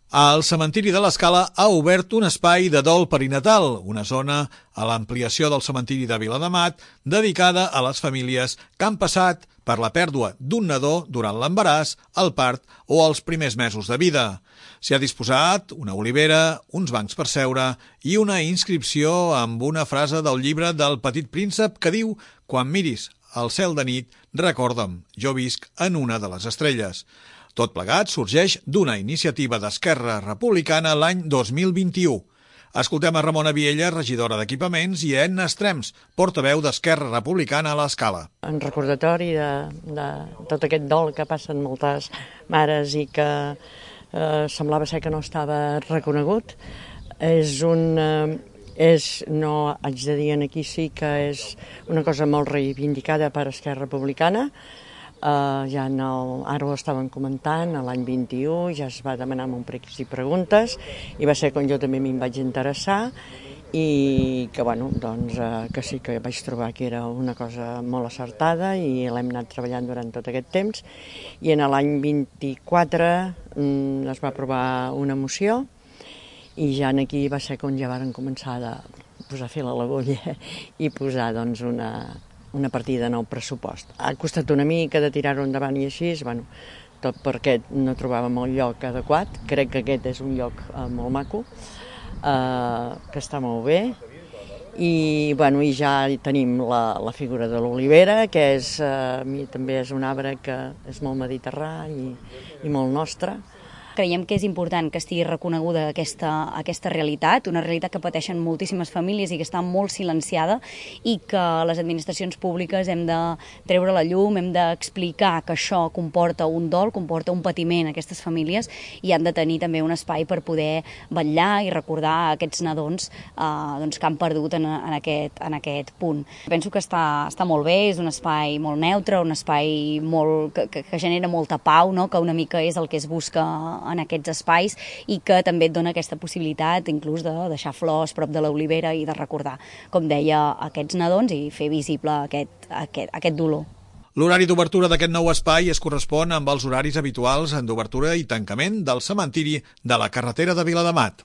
El cementiri de l'Escala ha obert un espai de dol perinatal, una zona a l'ampliació del cementiri de Viladamat dedicada a les famílies que han passat per la pèrdua d'un nadó durant l'embaràs, el part o els primers mesos de vida. S'hi ha disposat una olivera, uns bancs per seure i una inscripció amb una frase del llibre del Petit Príncep que diu «Quan miris el cel de nit, recorda'm, jo visc en una de les estrelles». Tot plegat sorgeix d'una iniciativa d'Esquerra Republicana l'any 2021. Escoltem a Ramona Viella, regidora d'Equipaments, i a Edna Estrems, portaveu d'Esquerra Republicana a l'Escala. En recordatori de tot aquest dol que passen moltes mares i que semblava ser que no estava reconegut, no haig de dir aquí sí que és una cosa molt reivindicada per Esquerra Republicana. Ara ho estaven comentant, l'any 21 ja es va demanar un pregs i preguntes i va ser quan jo també m'hi vaig interessar i que sí que vaig trobar que era una cosa molt acertada i l'hem anat treballant durant tot aquest temps i en l'any 24 es va aprovar una moció i ja aquí va ser quan ja varen començar a posar fil a l'agulla i posar una partida de nou pressupost. Ha costat una mica de tirar-ho endavant i així, tot perquè no trobàvem el lloc adequat. Crec que aquest és un lloc molt maco, que està molt bé. I ja tenim la figura de l'olivera, que a mi també és un arbre que és molt mediterrà i molt nostre. Creiem que és important que estigui reconeguda aquesta realitat, una realitat que pateixen moltíssimes famílies i que està molt silenciada i que les administracions públiques hem de treure la llum, hem d'explicar que això comporta un dol, comporta un patiment a aquestes famílies i han de tenir també un espai per poder vetllar i recordar aquests nadons que han perdut en aquest punt. Penso que està molt bé, és un espai molt neutre, un espai que genera molta pau, no? Que una mica és el que es busca en aquests espais i que també et dona aquesta possibilitat inclús de deixar flors prop de l'olivera i de recordar, com deia, aquests nadons i fer visible aquest dolor. L'horari d'obertura d'aquest nou espai es correspon amb els horaris habituals d'obertura i tancament del cementiri de la carretera de Viladamat.